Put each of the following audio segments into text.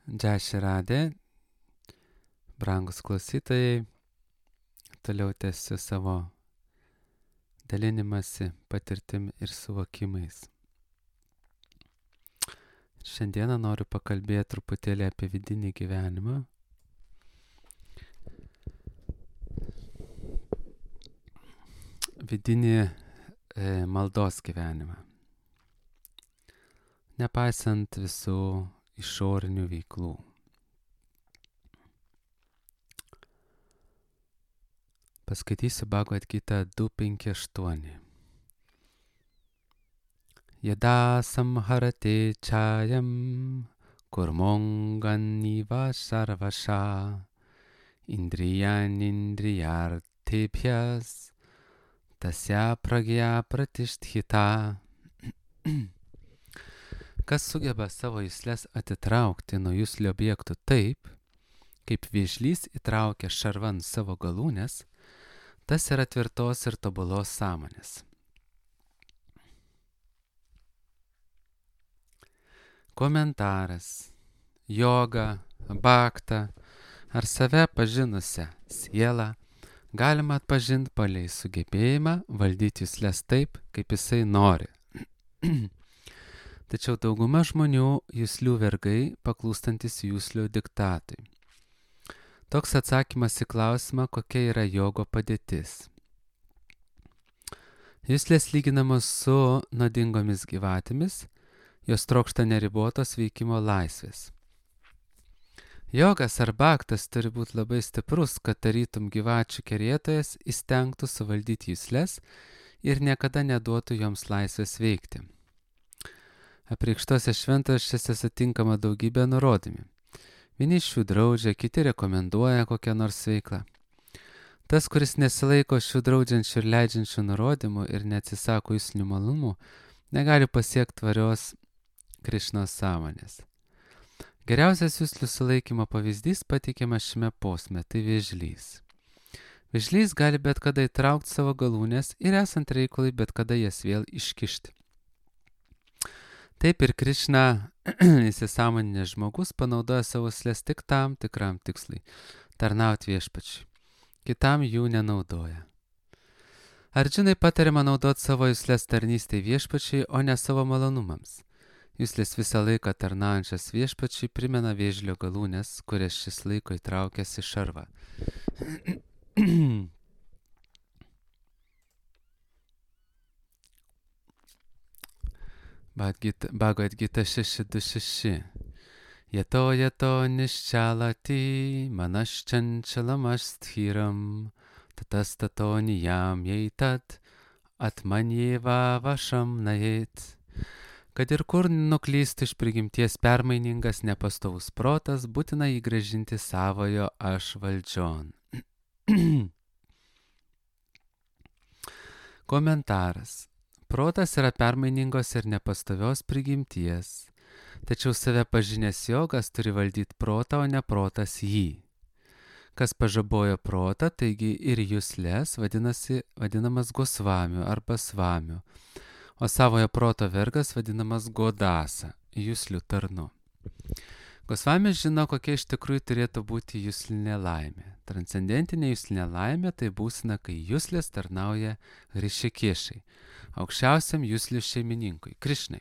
Džeši radė, brangus klausytojai, toliau tęsiu savo dalinimąsi patirtim ir suvokimais. Šiandieną noriu pakalbėti truputėlį apie vidinį gyvenimą. Vidinį maldos gyvenimą. Nepaisant visų išorinių veiklų. Paskaitysiu Bhagavad Gita 2.5.8. Yada samharate chayam kurmonganiva sarvasha indriyan indriyartebhyas tasya pragya pratisthita. Kas sugeba savo juslės atitraukti nuo juslio objektų taip, kaip vėžlys įtraukia šarvan savo galūnes, tas yra tvirtos ir tobulos sąmonės. Komentaras. Joga, bhakta ar save pažinusią sielą galima atpažinti palei sugebėjimą valdyti juslės taip, kaip jisai nori. Tačiau dauguma žmonių juslių vergai, paklūstantis juslių diktatui. Toks atsakymas į klausimą, kokia yra jogo padėtis. Juslės lyginamos su nuodingomis gyvatėmis, jos trokšta neribotos veikimo laisvės. Jogas ar bhaktas turi būti labai stiprus, kad tarytum gyvačių kerėtojas įstengtų suvaldyti juslės ir niekada neduotų joms laisvės veikti. Apreikštose šventraščiuose sutinkama daugybė nurodymų. Vieni iš jų draudžia, kiti rekomenduoja kokią nors veiklą. Tas, kuris nesilaiko šių draudžiančių ir leidžiančių nurodymų ir neatsisako juslinių malonumų, negali pasiekti tvarios Krišnos sąmonės. Geriausias juslių sulaikymo pavyzdys pateikiamas šiame posme, tai vėžlys. Vėžlys gali bet kada įtraukti savo galūnes ir esant reikalui bet kada jas vėl iškišti. Taip ir Krišna, įsisąmoninęs žmogus, panaudoja savo juslės tik tam tikram tikslui - tarnauti viešpačiui. Kitam jų nenaudoja. Arjunai patariama naudoti savo juslės tarnystei viešpačiui, o ne savo malonumams. Juslės visą laiką tarnaujančias viešpačiui primena vėžlio galūnes, kurias šis laiko įtraukęs į šarvą. Bhagavad Gita 6.2.6. Yato niščalati manaščančalamassthiram tatastato niyam jeitat atmanyeva vašam najet. Kad ir kur nuklystų iš prigimties permainingas nepastovus protas, būtina jį grąžinti savojo aš valdžion. Komentaras. Protas yra permainingos ir nepastovios prigimties, tačiau save pažinęs jogas turi valdyti protą, o ne protas jį. Kas pažabojo protą, taigi ir juslės vadinamas gosvamiu arba svamiu, o savojo proto vergas vadinamas godasa, juslių tarnu. Gosvamis žino, kokia iš tikrųjų turėtų būti juslinė laimė. Transcendentinė juslinė laimė tai būsena, kai juslės tarnauja Rišikešai, aukščiausiam juslių šeimininkui, Krišnai.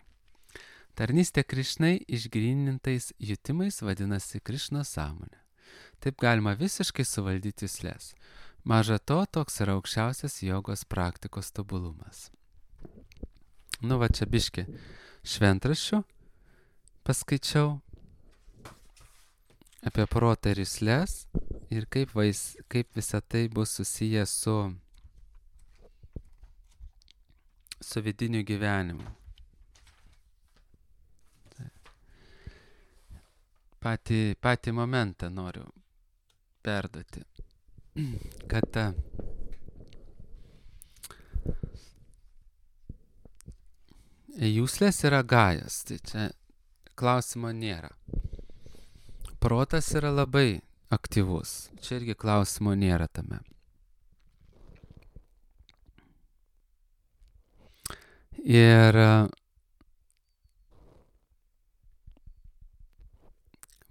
Tarnystė Krišnai išgrynintais jutimais vadinasi Krišnos sąmonė. Taip galima visiškai suvaldyti juslės. Maža to, toks yra aukščiausias jogos praktikos tobulumas. Va čia biški šventraščių paskaičiau apie protą ir juslės ir kaip visa tai bus susiję su vidiniu gyvenimu. Patį momentą noriu perduoti, kad juslės yra gajas, tai čia klausimo nėra. Protas yra labai aktyvus, čia irgi klausimo nėra tame. Ir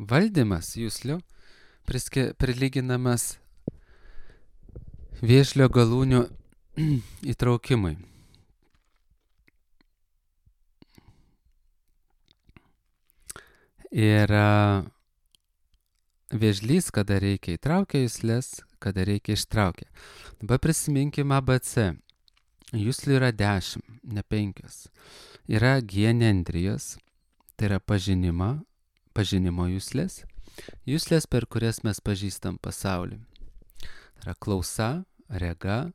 valdymas juslių prilyginamas vėžlio galūnių įtraukimui. Ir vėžlys, kada reikia įtraukia juslės, kada reikia ištraukia. Dabar prisiminkime ABC. Juslių yra 10, ne 5. Yra genendrijos, tai yra pažinimo juslės. Juslės, per kurias mes pažįstam pasaulį. Tai yra klausa, rega,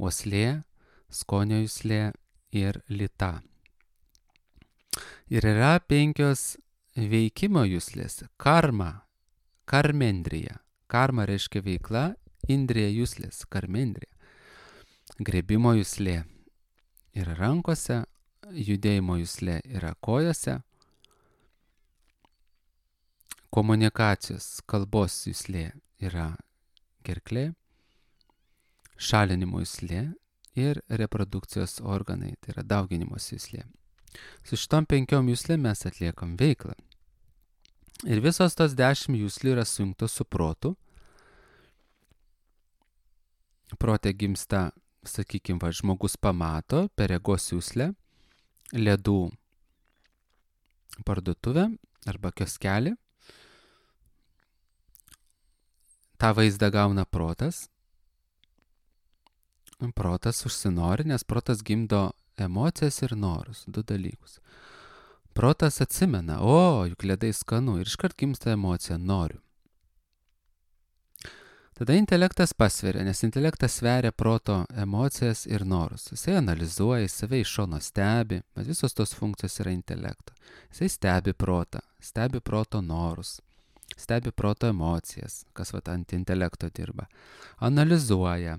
uoslė, skonio juslė ir lyta. Ir yra 5 veikimo juslės. Karmendrija. Karma reiškia veikla, indrija juslės, karmendrija. Grėbimo juslė yra rankose, judėjimo juslė yra kojose, komunikacijos, kalbos juslė yra gerklė, šalinimo juslė ir reprodukcijos organai, tai yra dauginimos juslė. Su šitom 5 juslėm mes atliekam veiklą. Ir visos tos 10 juslių yra sujungtos su protu. Prote gimsta, sakykime, žmogus pamato per regos juslę ledų parduotuvę arba kioskelį. Ta vaizdą gauna protas. Protas užsinori, nes protas gimdo emocijas ir norus, 2 dalykus. Protas atsimena, juk ledai skanu, ir iškart gimsta emocija, noriu. Tada intelektas pasveria, nes intelektas sveria proto emocijas ir norus. Jisai analizuoja, jis save iš šono stebi, bet visos tos funkcijos yra intelekto. Jisai stebi protą, stebi proto norus, stebi proto emocijas, kas ant intelekto dirba. Analizuoja,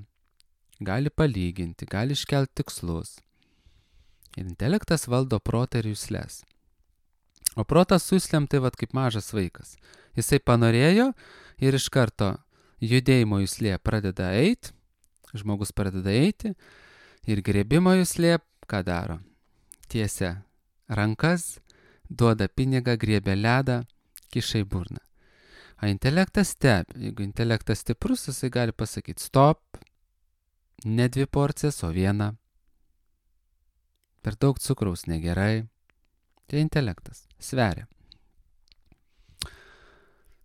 gali palyginti, gali iškelti tikslus. Ir intelektas valdo protą ir juslės. O protas su juslėm tai kaip mažas vaikas. Jisai panorėjo ir iš karto judėjimo juslė pradeda eiti, žmogus pradeda eiti ir grėbimo juslė ką daro? Tiesia rankas, duoda pinigą, griebia ledą, kiša į burną. O intelektas stebi. Jeigu intelektas stiprus, jisai gali pasakyti stop, ne 2 porcijas, o 1. Per daug cukraus negerai. Tai intelektas sveria.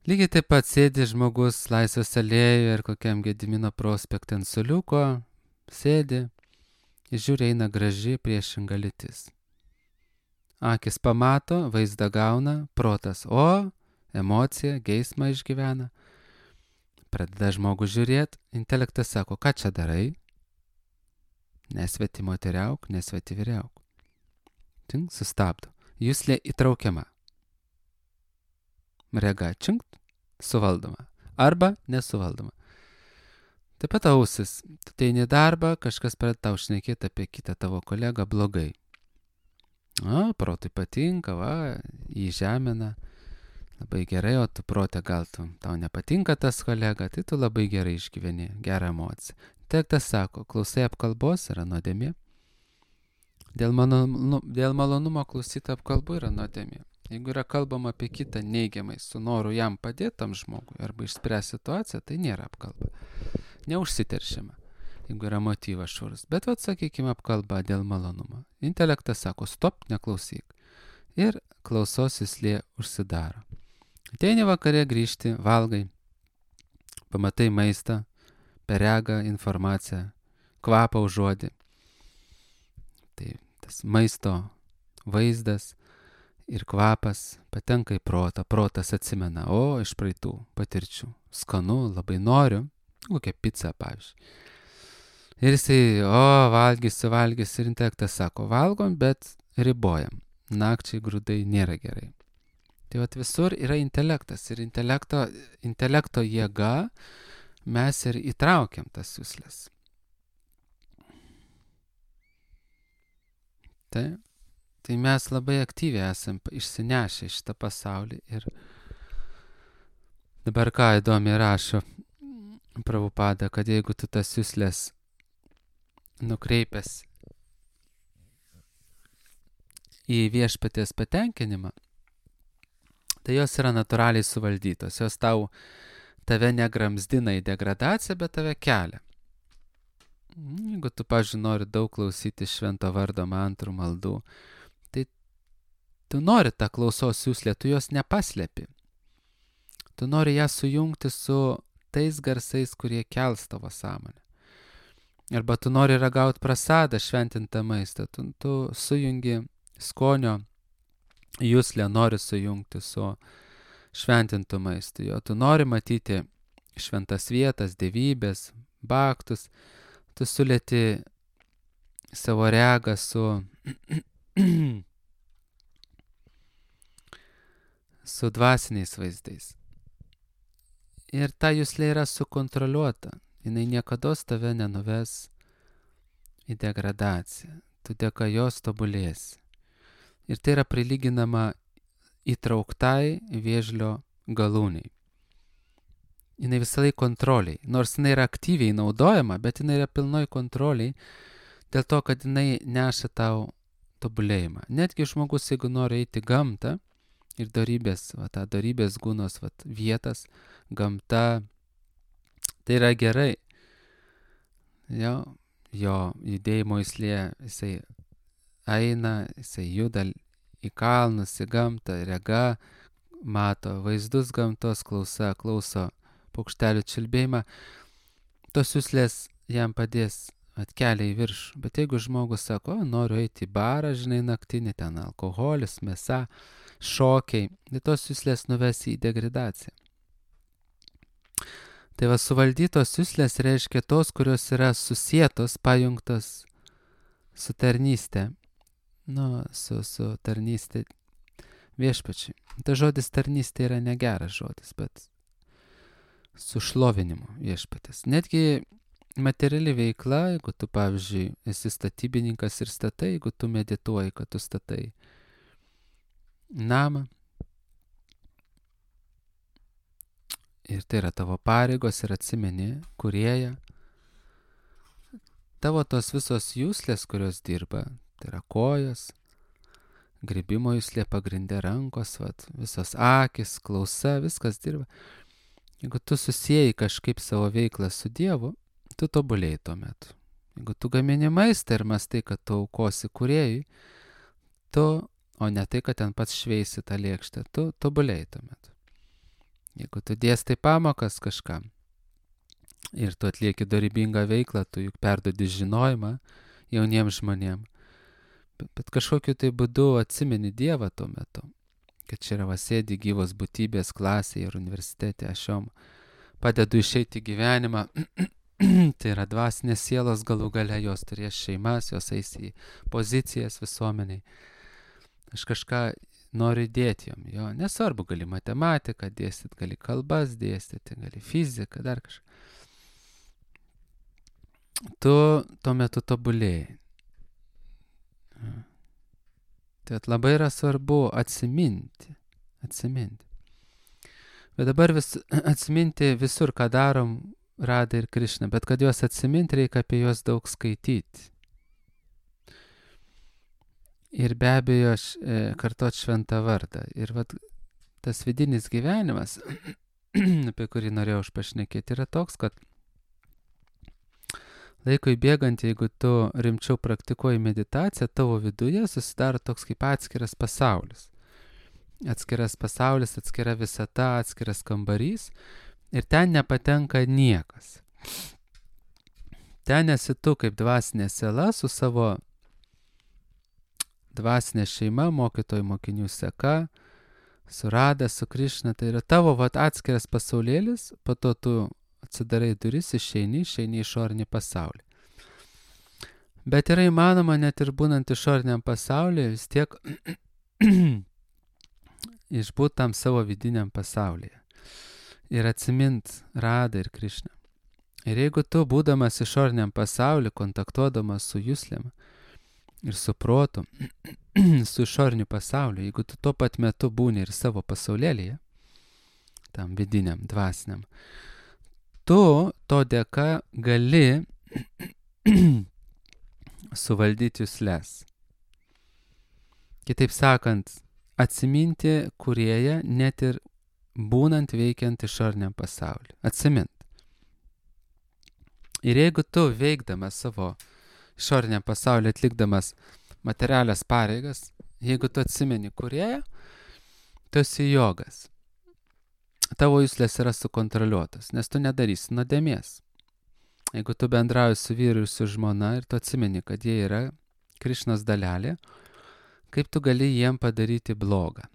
Lygiai taip pat sėdi žmogus Laisvės alėjoje ir kokiam Gedimino prospekte ant suoliuko, sėdi ir žiūri, eina graži priešinga lytis. Akis pamato, vaizdą gauna, protas emocija, geismą išgyvena. Pradeda žmogus žiūrėti, intelektas sako, ką čia darai? Nesveti moteriauk, nesveti vyriauk. Tink, sustabdo. Juslė įtraukiama. Rega činkt, suvaldoma. Arba nesuvaldoma. Taip pat ausis. Tu teini darbą, kažkas pradeda tau šnekėti apie kitą tavo kolegą blogai. Protui patinka, jį žemina. Labai gerai, o tu prote gal tau nepatinka tas kolega, tai tu labai gerai išgyveni, gerą emociją. Intelektas sako, klausai apkalbos yra nuodėmė. Dėl malonumo klausyti apkalbų yra nuodėmė. Jeigu yra kalbama apie kitą neigiamai, su noru jam padėti tam žmogui arba išspręsti situaciją, tai nėra apkalba. Neužsiteršiama, jeigu yra motyvas švarus. Bet sakykime apkalba dėl malonumo. Intelektas sako, stop, neklausyk. Ir klausos juslė užsidaro. Ateini vakare grįžti, valgai, pamatai maistą, per regą informaciją, kvapą užuodi. Tai tas maisto vaizdas ir kvapas patenka į protą. Protas atsimena, iš praeitų patirčių. Skanu, labai noriu, kokią pizzą, pavyzdžiui. Ir jisai, valgysiu, ir intelektas sako, valgom, bet ribojam. Nakčiai grūdai nėra gerai. Tai visur yra intelektas ir intelekto jėga mes ir įtraukiam tas juslės. Tai mes labai aktyviai esam išsinešę šitą pasaulį ir dabar ką įdomiai rašo Prabhupada, kad jeigu tu tas juslės nukreipęs į viešpaties patenkinimą, tai jos yra natūraliai suvaldytos. Jos tave negramzdina į degradaciją, bet tave kelia. Jeigu tu, pavyzdžiui, nori daug klausyti švento vardo mantrų maldų, tai tu nori tą klausos juslę, tu jos nepaslėpi. Tu nori ją sujungti su tais garsais, kurie kels tavo sąmonę. Arba tu nori ragauti prasadą, šventintą maistą, tu sujungi skonio juslę, nori sujungti su šventintų maistu. Jo, tu nori matyti šventas vietas, dievybės, baktus, tu sulėti savo regą su dvasiniais vaizdais. Ir ta juslė yra sukontroliuota. Jinai niekados tave nenuves į degradaciją. Tu dėka jos tobulėsi. Ir tai yra prilyginama įtrauktai vėžlio galūniai. Jinai visą laiką kontroliai. Nors jinai yra aktyviai naudojama, bet jinai yra pilnoj kontroliai, dėl to, kad jinai neša tau tobulėjimą. Netgi žmogus, jeigu nori eiti gamtą ir darybės, tą darybės gūnos vietas, gamta, tai yra gerai. Jo judėjimo jisai eina, jisai juda į kalnus, į gamtą, rega, mato vaizdus gamtos, klauso paukštelių čiulbėjimą. Tos juslės jam padės atkelia į viršų. Bet jeigu žmogus sako, noriu eiti į barą, žinai, naktinį, ten alkoholis, mėsa, šokiai, tai tos juslės nuves į degradaciją. Tai suvaldytos juslės reiškia tos, kurios yra susietos, pajungtos su tarnystė. Su tarnystė viešpačiui. Ta žodis tarnystė yra negeras žodis, bet su šlovinimu viešpatės. Netgi materiali veikla, jeigu tu, pavyzdžiui, esi statybininkas ir statai, jeigu tu medituoji, kad tu statai namą, ir tai yra tavo pareigos ir atsimeni kūrėją, tavo tos visos juslės, kurios dirba, tai yra kojos, grybimo juslė pagrindė rankos, visos akis, klausa, viskas dirba. Jeigu tu susieji kažkaip savo veiklą su Dievu, tu tobulėjai tuo metu. Jeigu tu gamini maistą ir mastai, kad tu aukosi kūrėjui, o ne tai, kad ten pats šveisi tą lėkštę, tu tobulėjai tuo metu. Jeigu tu dėstai pamokas kažkam ir tu atlieki dorybingą veiklą, tu juk perduodi žinojimą jauniems žmonėms, bet kažkokiu tai būdu atsimeni Dievą tuo metu, kad čia yra sėdi gyvos būtybės klasėje ir universitete, aš jom padedu išeiti gyvenimą, tai yra dvasinės sielos, galų gale jos turės šeimas, jos eis į pozicijas visuomeniai. Aš kažką noriu dėti jom, jo, nesvarbu, gali matematiką dėstyti, gali kalbas dėstyti, gali fiziką, dar kažką. Tu tuo metu tobulėjai. Tai labai yra svarbu atsiminti. Bet dabar atsiminti visur, ką darom Radha ir Krišna, bet kad juos atsiminti, reikia apie juos daug skaityti. Ir be abejo kartot šventą vardą. Ir tas vidinis gyvenimas, apie kurį norėjau pašnekėti, yra toks, kad laikui bėgant, jeigu tu rimčiau praktikuoji meditaciją, tavo viduje susidaro toks kaip atskiras pasaulis. Atskiras pasaulis, atskira visata, atskiras kambarys ir ten nepatenka niekas. Ten esi tu kaip dvasinė siela su savo dvasinė šeima, mokytojų mokinių seka, su Radha, su Krišna, tai yra tavo atskiras pasaulėlis, po to tu atsidarai duris, išeini išorinį pasaulį. Bet yra įmanoma net ir būnant išoriniam pasaulyje vis tiek išbūt tam savo vidiniam pasaulyje ir atsimint Radha ir Krišną. Ir jeigu tu, būdamas išoriniam pasaulyje, kontaktuodamas su juslėm ir su protu, su išoriniu pasauliu, jeigu tu tuo pat metu būni ir savo pasaulėlyje, tam vidiniam, dvasiniam, tu to dėka gali suvaldyti jusles. Kitaip sakant, atsiminti kūrėją net ir būnant veikiant išoriniam pasauliu. Atsimint. Ir jeigu tu veikdamas savo išoriniam pasauliu, atlikdamas materialias pareigas, jeigu tu atsimeni kūrėją, tu esi jogas. Tavo juslės yra sukontroliuotas, nes tu nedarysi nuodėmės. Jeigu tu bendrauji su vyru ir su žmona ir tu atsimeni, kad jie yra Krišnos dalelė, kaip tu gali jiem padaryti blogą?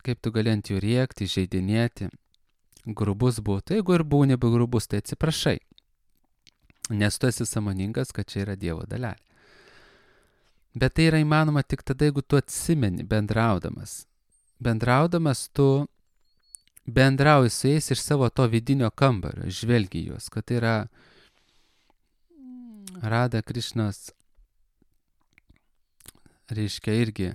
Kaip tu gali ant jų rėkti, žeidinėti, grubus būtų. Jeigu ir būni grubus, tai atsiprašai. Nes tu esi sąmoningas, kad čia yra Dievo dalelė. Bet tai yra įmanoma tik tada, jeigu tu atsimeni bendraudamas. Bendraudamas tu bendrauji su jais iš savo to vidinio kambario, žvelgi juos, kad tai yra Rada Krišnos, reiškia irgi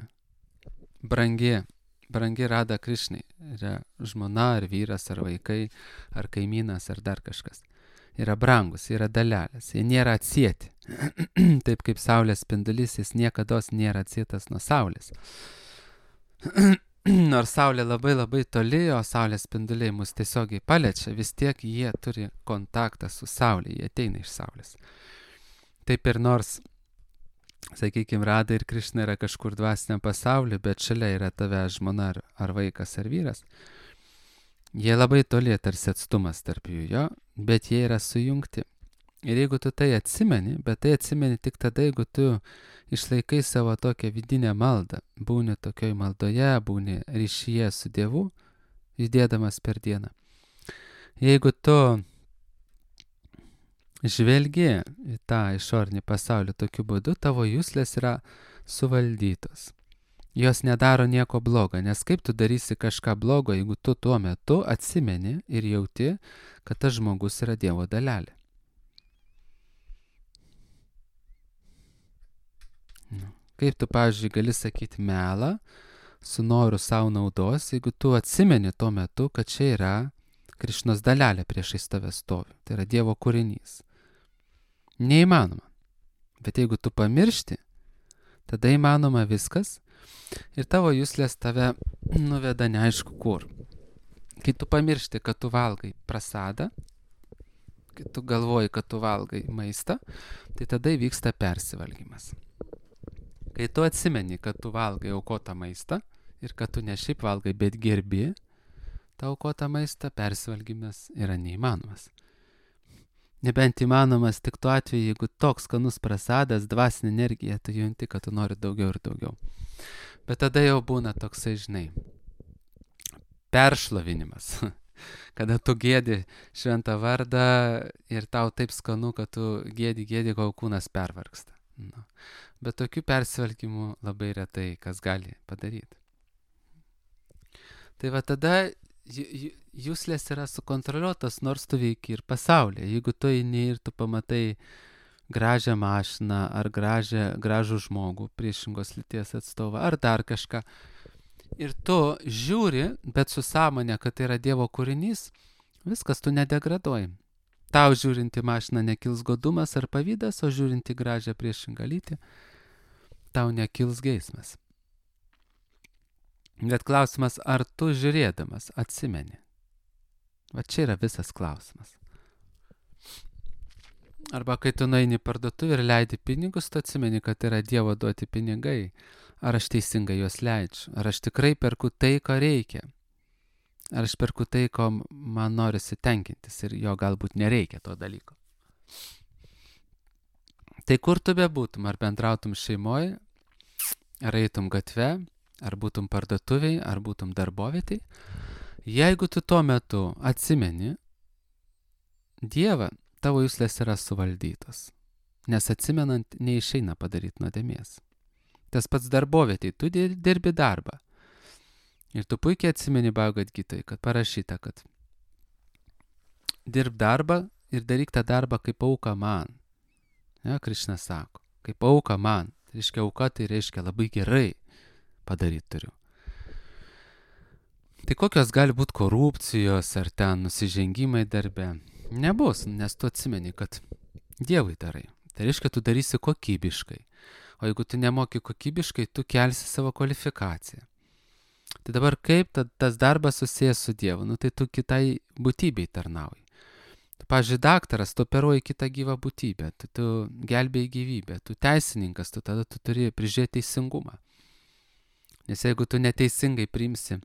brangi Rada Krišnai. Yra žmona, ar vyras, ar vaikai, ar kaimynas, ar dar kažkas. Yra brangus, yra dalelės, jie nėra atsieti. Taip kaip saulės spindulys, jis niekados nėra atsietas nuo saulės. Nors saulė labai labai toli, o saulės spinduliai mus tiesiogiai paliečia, vis tiek jie turi kontaktą su saulė, jie ateina iš saulės. Taip ir nors, sakykime, Rada ir Krišna yra kažkur dvasiniam pasauliu, bet šalia yra tave žmona ar vaikas ar vyras, jie labai toli, tarsi atstumas tarp jų, jo, bet jie yra sujungti. Ir jeigu tu tai atsimeni, bet tai atsimeni tik tada, jeigu tu išlaikai savo tokią vidinę maldą, būni tokioj maldoje, būni ryšyje su Dievu, judėdamas per dieną. Jeigu tu žvelgi į tą išorinį pasaulį tokiu būdu, tavo juslės yra suvaldytos. Jos nedaro nieko blogo, nes kaip tu darysi kažką blogo, jeigu tu tuo metu atsimeni ir jauti, kad tas žmogus yra Dievo dalelė. Kaip tu, pavyzdžiui, gali sakyti melą su noru savo naudos, jeigu tu atsimeni tuo metu, kad čia yra Krišnos dalelė priešais tave stovi. Tai yra Dievo kūrinys. Neįmanoma. Bet jeigu tu pamiršti, tada įmanoma viskas ir tavo juslės tave nuveda neaišku kur. Kai tu pamiršti, kad tu valgai prasadą, kai tu galvoji, kad tu valgai maistą, tai tada įvyksta persivalgymas. Kai tu atsimeni, kad tu valgai aukotą maistą ir kad tu ne šiaip valgai, bet gerbi tą aukotą maistą, persivalgymas yra neįmanomas. Nebent įmanomas tik tuo atveju, jeigu toks skanus prasadas, dvasinė energija, tu junti, kad tu nori daugiau ir daugiau. Bet tada jau būna toksai, žinai, peršlovinimas. Kada tu gėdi šventą vardą ir tau taip skanu, kad tu gėdi, kol kūnas pervargsta. Nu. Bet tokių persivalgymų labai retai kas gali padaryti. Tai va tada juslės yra sukontroliuotas, nors tu veiki ir pasaulyje. Jeigu tu eini ir tu pamatai gražią mašiną ar gražų žmogų, priešingos lyties atstovą ar dar kažką, ir tu žiūri, bet su sąmonė, kad tai yra Dievo kūrinys, viskas, tu nedegraduoji. Tau žiūrinti mašiną nekils godumas ar pavydas, o žiūrinti gražią priešingą lytį, tau nekils geismas. Bet klausimas, ar tu žiūrėdamas atsimeni? Va čia yra visas klausimas. Arba kai tu nueini į parduotuvę ir leidi pinigus, tu atsimeni, kad yra Dievo duoti pinigai. Ar aš teisingai juos leidžiu? Ar aš tikrai perku tai, ko reikia? Ar aš perku tai, ko man norisi tenkintis ir jo galbūt nereikia to dalyko. Tai kur tu bebūtum, ar bendrautum šeimoje, ar eitum gatve, ar būtum parduotuviai, ar būtum darbovietėj, jeigu tu tuo metu atsimeni Dievą, tavo juslės yra suvaldytos, nes atsimenant neišeina padaryti nuodėmės. Tas pats darbovietėj, tu dirbi darbą. Ir tu puikiai atsimeni Bhagavad Gitoj, kad parašyta, kad dirb darbą ir daryk tą darbą kaip auka man. Ja, Krišna sako, kaip auka man. Tai reiškia auka, tai reiškia labai gerai padaryti turiu. Tai kokios gali būti korupcijos ar ten nusižengimai darbe? Nebus, nes tu atsimeni, kad Dievui darai. Tai reiškia, tu darysi kokybiškai. O jeigu tu nemoki kokybiškai, tu kelsi savo kvalifikaciją. Tai dabar kaip tas darbas susijęs su Dievu? Nu tai tu kitai būtybei tarnauji. Tu, pavyzdžiui, daktaras, tu operuoji kitą gyvą būtybę, tu gelbėjai gyvybę, tu teisininkas, tada tu turi prižiūrėti teisingumą. Nes jeigu tu neteisingai priimsi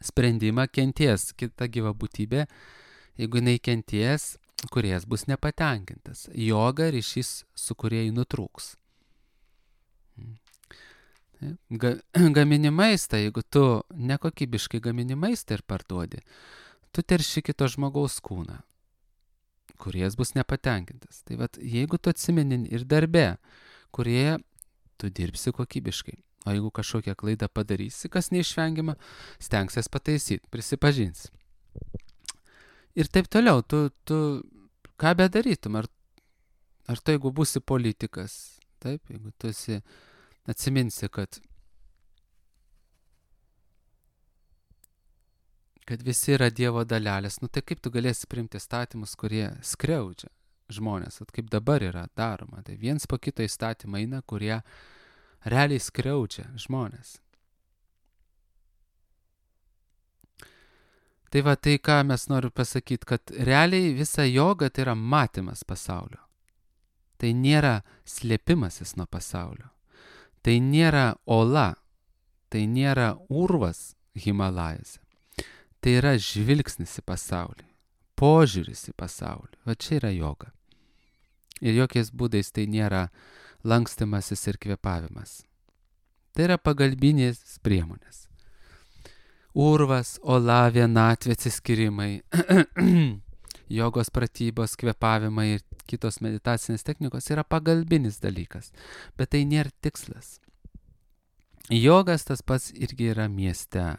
sprendimą, kenties kita gyva būtybė, jeigu jinai kenties, kuriejas bus nepatenkintas. Joga ryšys su kūrėjai nutrūks. Gamini maistą, jeigu tu nekokybiškai gamini maistą ir parduodi, tu terši kito žmogaus kūną, kuriejas bus nepatenkintas. Tai vat, jeigu tu atsimeni ir darbe, kurie tu dirbsi kokybiškai. O jeigu kažkokią klaidą padarysi, kas neišvengiama, stengsies pataisyti, prisipažinsi. Ir taip toliau, tu ką bedarytum, ar tu jeigu būsi politikas, taip, jeigu tu atsiminsi, kad visi yra Dievo dalelės, nu tai kaip tu galėsi priimti įstatymus, kurie skriaudžia žmonės, kaip dabar yra daroma. Tai viens po kito įstatymą eina, kurie realiai skriaudžia žmonės. Tai va, tai ką mes noriu pasakyti, kad realiai visa joga tai yra matymas pasaulio. Tai nėra slėpimasis nuo pasaulio. Tai nėra ola, tai nėra urvas Himalajose. Tai yra žvilgsnis į pasaulį, požiūris į pasaulį. Va čia yra joga. Ir jokiais būdais tai nėra lankstimasis ir kvėpavimas. Tai yra pagalbinės priemonės. Urvas, ola, vienatvė, atsiskyrimai, jogos pratybos, kvėpavimai ir kitos meditacinės technikos yra pagalbinis dalykas, bet tai nėra tikslas. Jogas tas pats irgi yra mieste,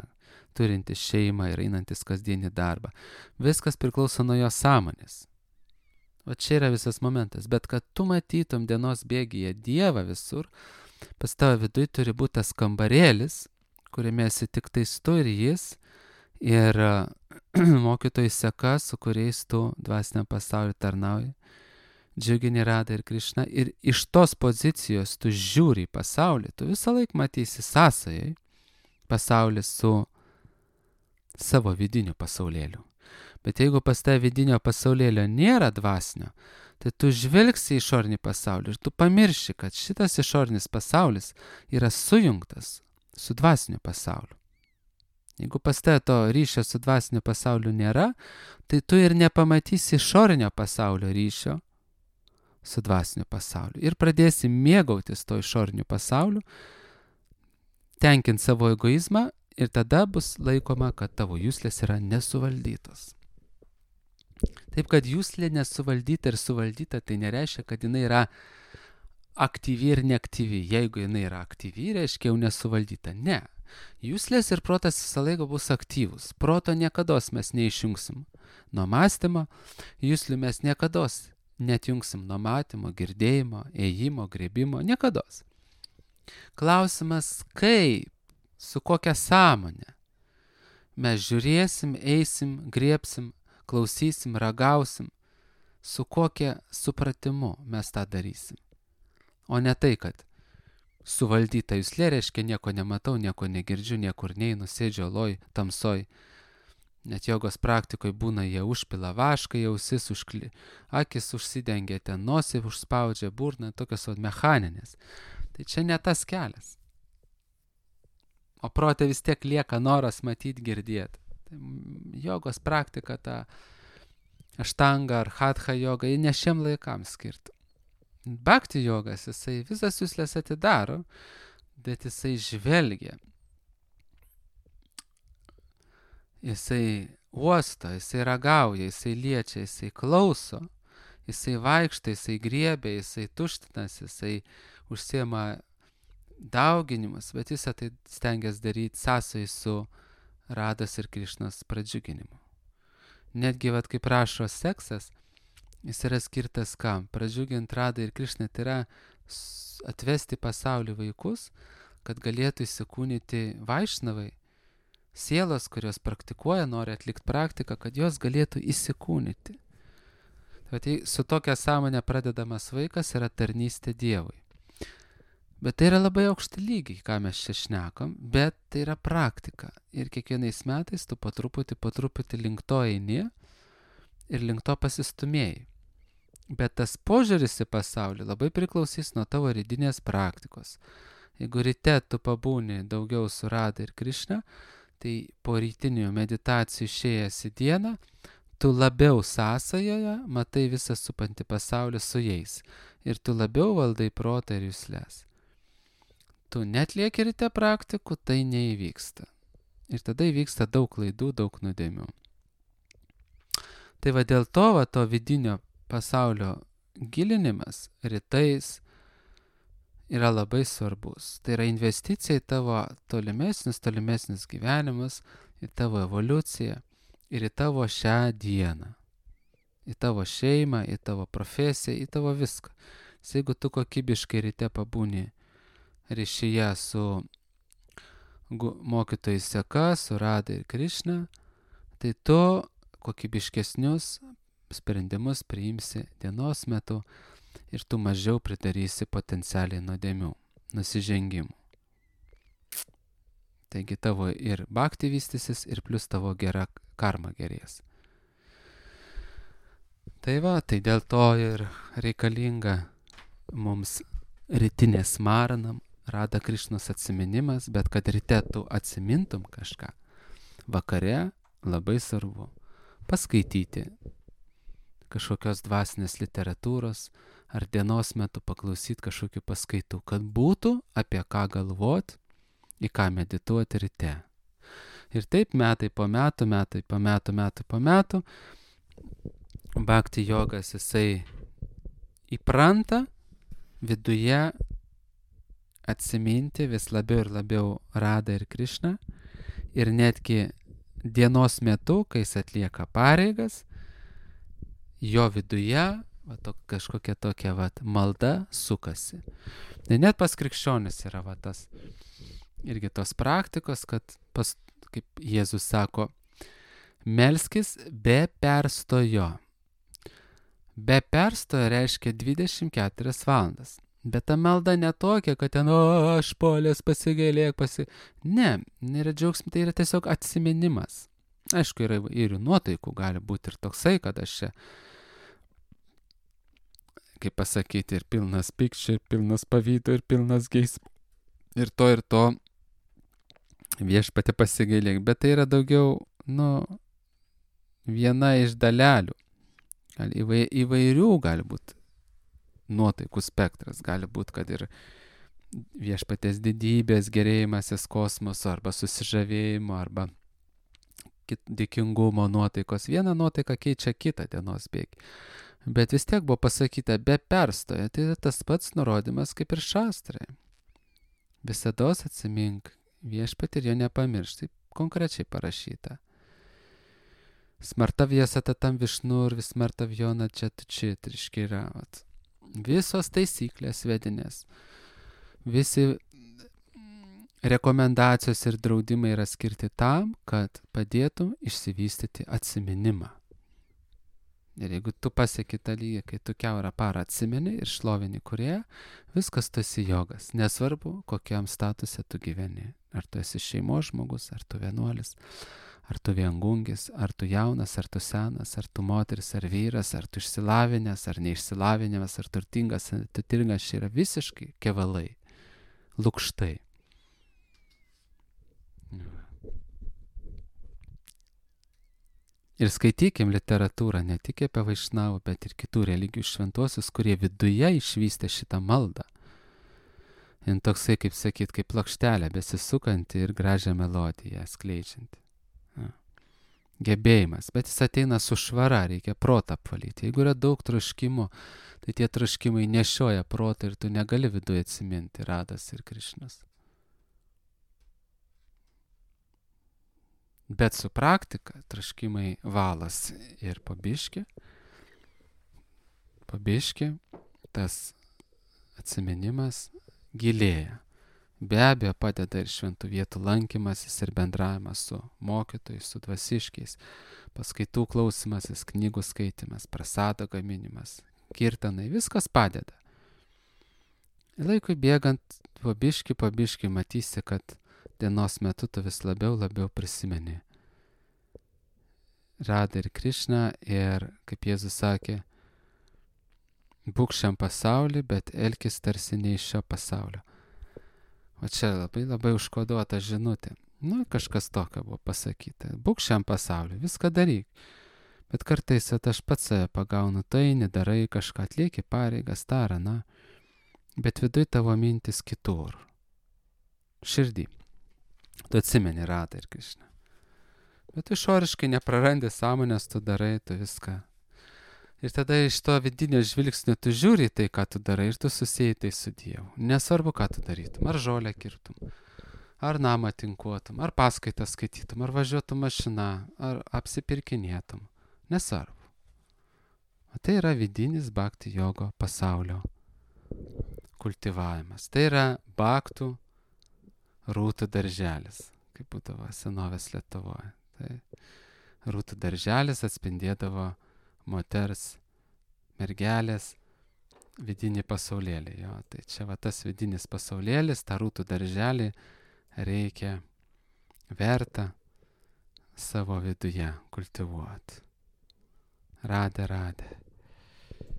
turintis šeimą ir einantis kasdienį darbą. Viskas priklauso nuo jo sąmonės. O čia yra visas momentas. Bet kad tu matytum dienos bėgyje Dievą visur, pas tavo viduj turi būti tas kambarėlis, kuriame esi tik tais tu ir jis, ir mokytojai seka, su kuriais tu dvasiniam pasauliu tarnauji, džiugini Radą ir Krišną, ir iš tos pozicijos tu žiūri į pasaulį, tu visą laiką matysi sąsajai pasaulį su savo vidiniu pasaulėliu. Bet jeigu pas tave vidinio pasaulėlio nėra dvasinio, tai tu žvelgsi į išorinį pasaulį ir tu pamirši, kad šitas išorinis pasaulis yra sujungtas su dvasiniu pasauliu. Jeigu pas tave to ryšio su dvasiniu pasauliu nėra, tai tu ir nepamatysi išorinio pasaulio ryšio su dvasiniu pasauliu. Ir pradėsi mėgautis to išoriniu pasauliu, tenkinti savo egoizmą, ir tada bus laikoma, kad tavo juslės yra nesuvaldytos. Taip, kad juslė nesuvaldyta ir suvaldyta, tai nereiškia, kad jinai yra aktyvi ir neaktyvi. Jeigu jinai yra aktyvi, reiškia jau nesuvaldyta. Ne. Juslės ir protas visą laiką bus aktyvus. Proto niekados mes neišjungsim nuo mąstymo, juslių mes niekados netjungsim nuo matymo, girdėjimo, ėjimo, grebimo, niekados. Klausimas, kaip, su kokia sąmonė mes žiūrėsim, eisim, griebsim, klausysim, ragausim, su kokia supratimu mes tą darysim. O ne tai, kad suvaldyta juslė reiškia nieko nematau, nieko negirdžiu, niekur neinu, sėdžiu oloj, tamsoj. Net jogos praktikoje būna, jie užpila vašką, ausis, akis užsidengia, ten nosį užspaudžia, burną, tokios mechaninės. Tai čia ne tas kelias. O prote vis tiek lieka noras matyti, girdėti. Jogos praktika, ta aštanga ar hatha joga, ji ne šiem laikams skirta. Bhakti jogas, jisai visas juslės atidaro, bet jisai žvelgia. Jisai uosto, jisai ragauja, jisai liečia, jisai klauso, jisai vaikšta, jisai griebia, jisai tuštinas, jisai užsiema dauginimas, bet visą tai stengiasi daryti sąsai su Rados ir Krišnos pradžiuginimu. Netgi, kaip rašo seksas, jis yra skirtas kam? Pradžiuginti Radą ir Krišną, tai yra atvesti pasaulį vaikus, kad galėtų įsikūnyti vaišnavai, sielos, kurios praktikuoja, nori atlikti praktiką, kad jos galėtų įsikūnyti. Tai su tokia sąmonė pradedamas vaikas yra tarnystė Dievui. Bet tai yra labai aukšti lygiai, ką mes čia šnekam, bet tai yra praktika. Ir kiekvienais metais tu po truputį link to eini ir link to pasistumėjai. Bet tas požiūris į pasaulį labai priklausys nuo tavo rytinės praktikos. Jeigu ryte tu pabūni daugiau su Rada ir Krišna, tai po rytinių meditacijų išėjęs į dieną, tu labiau sąsajoje matai visą supantį pasaulį su jais. Ir tu labiau valdai protą ir juslės. Tu netlieki ryte praktikų, tai neįvyksta. Ir tada įvyksta daug klaidų, daug nuodėmių. Tai va dėl to vidinio pasaulio gilinimas rytais yra labai svarbus. Tai yra investicija į tavo tolimesnis gyvenimas, į tavo evoliuciją ir į tavo šią dieną. Į tavo šeimą, į tavo profesiją, į tavo viską. Jeigu tu kokybiškai ryte pabūni ryšyje su mokytojais seka, su Rada ir Krišna, tai tu kokybiškesnius sprendimus priimsi dienos metu ir tu mažiau pridarysi potencialiai nuodėmių, nusižengimų. Taigi tavo ir bhakti vystysis, ir plus tavo gera karma gerės. Tai va, tai dėl to ir reikalinga mums rytinė smaranam, Rada Krišnos atsiminimas, bet kad ryte tu atsimintum kažką, vakare labai svarbu paskaityti kažkokios dvasinės literatūros ar dienos metu paklausyti kažkokių paskaitų, kad būtų apie ką galvoti, į ką medituoti ryte. Ir taip metai po metų, bhakti jogas jisai įpranta viduje atsiminti vis labiau ir labiau Radą ir Krišną ir netgi dienos metu, kai jis atlieka pareigas, jo viduje kažkokia tokia malda sukasi. Ir net pas krikščionis yra tas irgi tos praktikos, kad kaip Jėzus sako, melskis be perstojo. Be perstojo reiškia 24 valandas. Bet ta malda netokia, kad ten, aš polės pasigailėk, Ne, nėra džiaugsmė, tai yra tiesiog atsiminimas. Aišku, yra ir nuotaikų, gali būti ir toksai, kad aš čia, kaip pasakyti, ir pilnas pykčio, ir pilnas pavydo, ir pilnas geismo. Ir to viešpatį pasigailėk. Bet tai yra daugiau, viena iš dalelių. Įvairių gali būti nuotaikų spektras. Gali būti, kad ir viešpatės didybės, gerėjimasis kosmoso, arba susižavėjimo, arba dėkingumo nuotaikos. Viena nuotaika keičia kitą dienos bėgį. Bet vis tiek buvo pasakyta be perstojo. Tai tas pats nurodymas kaip ir šastrai. Visados atsimink viešpatį ir jo nepamiršk. Taip konkrečiai parašyta. Smartavja satatam višnu ir vismartavjona čia tučit. Reiškia, visos taisyklės vedinės, visi rekomendacijos ir draudimai yra skirti tam, kad padėtum išsivystyti atsiminimą. Ir jeigu tu pasieki tą lygį, kai tu kiaurą parą atsimeni ir šlovini Kūrėją, viskas tu esi jogas. Nesvarbu, kokiam statuse tu gyveni. Ar tu esi šeimos žmogus, ar tu vienuolis, ar tu viengungis, ar tu jaunas, ar tu senas, ar tu moteris, ar vyras, ar tu išsilavinęs, ar neišsilavinęs, ar turtingas, ar turtingas, čia yra visiškai kevalai, lukštai. Ir skaitykim literatūrą ne tik apie vaišnavų, bet ir kitų religijų šventuosius, kurie viduje išvystė šitą maldą. Ir toksai, kaip sakyt, kaip plokštelė besisukanti ir gražią melodiją skleidžianti. Gebėjimas, bet jis ateina su švara, reikia protą apvalyti. Jeigu yra daug troškimų, tai tie troškimai nešioja protą ir tu negali viduje atsiminti Radas ir Krišnas. Bet su praktika troškimai valas ir pabiški tas atsiminimas gilėja. Be abejo padeda ir šventų vietų lankymasis ir bendravimas su mokytojais, su dvasiškiais, paskaitų klausimasis, knygų skaitimas, prasado gaminimas, kirtanai, viskas padeda. Laikui bėgant, po biškį matysi, kad dienos metu tu vis labiau prisimeni Radą ir Krišną ir, kaip Jėzus sakė, būk šiam pasauliu, bet elkis tarsi ne iš šio pasaulio. O čia labai užkoduota žinutė. Kažkas tokio buvo pasakyta. Būk šiam pasauliu, viską daryk. Bet kartais aš pats save pagaunu, tai nedarai kažką, atlieki pareigas, tarą, bet viduj tavo mintis kitur. Širdį. Tu atsimeni Radą ir Krišną. Bet tu išoriškai neprarandi sąmonės, tu darai, tu viską. Ir tada iš to vidinio žvilgsnio tu žiūri tai, ką tu darai ir tu susijai tai su Dievu. Nesvarbu, ką tu darytum. Ar žolę kirtum, ar namą tinkuotum, ar paskaitą skaitytum, ar važiuotum mašina, ar apsipirkinėtum. Nesvarbu. O tai yra vidinis bhakti jogo pasaulio kultivavimas. Tai yra bhaktų rūtų darželis, kaip būdavo senovės Lietuvoje. Tai rūtų darželis atspindėdavo moters, mergelės vidinį pasaulėlį. Tai čia tas vidinis pasaulėlis, tą rūtų darželį reikia verta savo viduje kultivuoti. Radė.